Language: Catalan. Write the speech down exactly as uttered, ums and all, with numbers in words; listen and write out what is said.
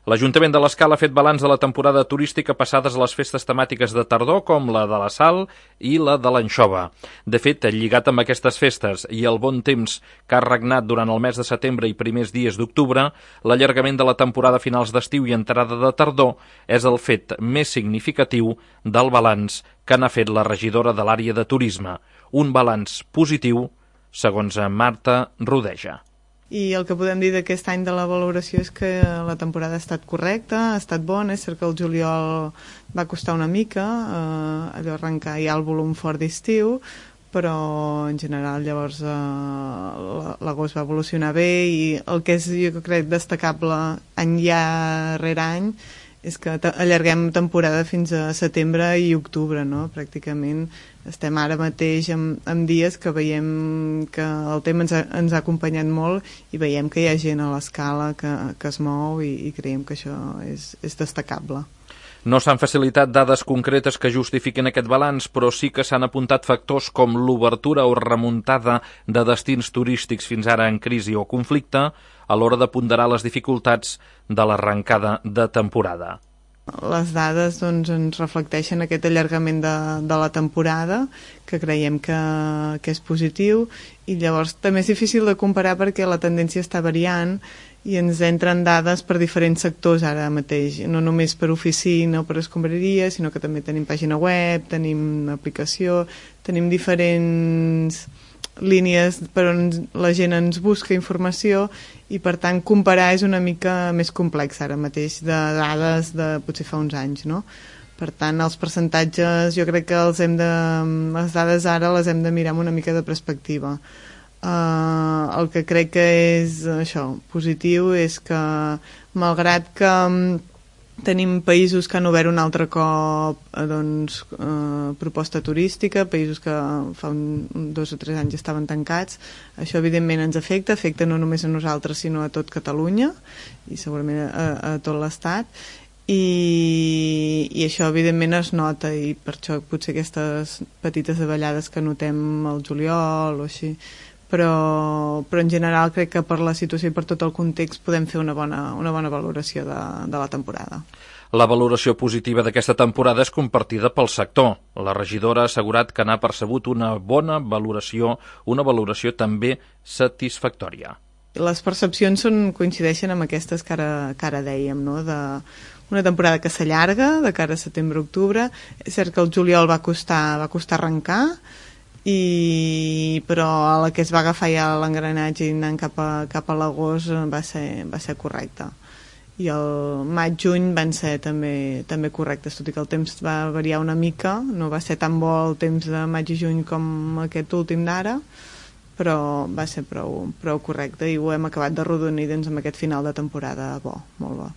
L'Ajuntament de l'Escala ha fet balanç de la temporada turística passades a les festes temàtiques de tardor, com la de la Sal i la de l'Anxova. De fet, lligat amb aquestes festes i el bon temps que ha regnat durant el mes de setembre i primers dies d'octubre, l'allargament de la temporada a finals d'estiu i entrada de tardor és el fet més significatiu del balanç que n'ha fet la regidora de l'àrea de turisme. Un balanç positiu, segons Marta Rodeja. I el que podem dir d'aquest any de la valoració és que la temporada ha estat correcta, ha estat bona. És cert que el juliol va costar una mica, eh, allò arrencar ja el volum fort d'estiu, però en general llavors eh, l'agost va evolucionar bé, i el que és, jo crec, destacable any ja rere any és que allarguem temporada fins a setembre i octubre, no? Pràcticament estem ara mateix amb, amb dies que veiem que el tema ens ha, ens ha acompanyat molt, i veiem que hi ha gent a l'Escala que, que es mou, i, i creiem que això és, és destacable. No s'han facilitat dades concretes que justifiquin aquest balanç, però sí que s'han apuntat factors com l'obertura o remuntada de destins turístics fins ara en crisi o conflicte a l'hora de ponderar les dificultats de l'arrencada de temporada. Les dades doncs, ens reflecteixen aquest allargament de, de la temporada, que creiem que, que és positiu, i llavors també és difícil de comparar perquè la tendència està variant i ens entren dades per diferents sectors ara mateix, no només per oficina o per escombraria, sinó que també tenim pàgina web, tenim aplicació, tenim diferents línies per on la gent ens busca informació, i per tant comparar és una mica més complex ara mateix de dades de potser fa uns anys, no? Per tant, els percentatges jo crec que els hem de, les dades ara les hem de mirar amb una mica de perspectiva. Uh, el que crec que és això, positiu, és que malgrat que um, tenim països que han obert un altre cop eh, doncs, eh, proposta turística, països que fa un, dos o tres anys estaven tancats, això evidentment ens afecta, afecta no només a nosaltres sinó a tot Catalunya i segurament a, a tot l'Estat, i, i això evidentment es nota, i per això potser aquestes petites davallades que notem al juliol o així, però, però en general crec que per la situació i per tot el context podem fer una bona, una bona valoració de, de la temporada. La valoració positiva d'aquesta temporada és compartida pel sector. La regidora ha assegurat que n'ha percebut una bona valoració, una valoració també satisfactòria. Les percepcions són, coincideixen amb aquestes que ara, que ara dèiem, no? De una temporada que s'allarga de cara a setembre-octubre. És cert que el juliol va costar, va costar arrencar, i però a la que es va agafar ja l'engranatge i anant cap a, cap a l'agost va ser, va ser correcte, i el maig-juny van ser també, també correctes, tot i que el temps va variar una mica, no va ser tan bo el temps de maig i juny com aquest últim d'ara, però va ser prou, prou correcte, i ho hem acabat de rodonir doncs, amb aquest final de temporada bo, molt bo.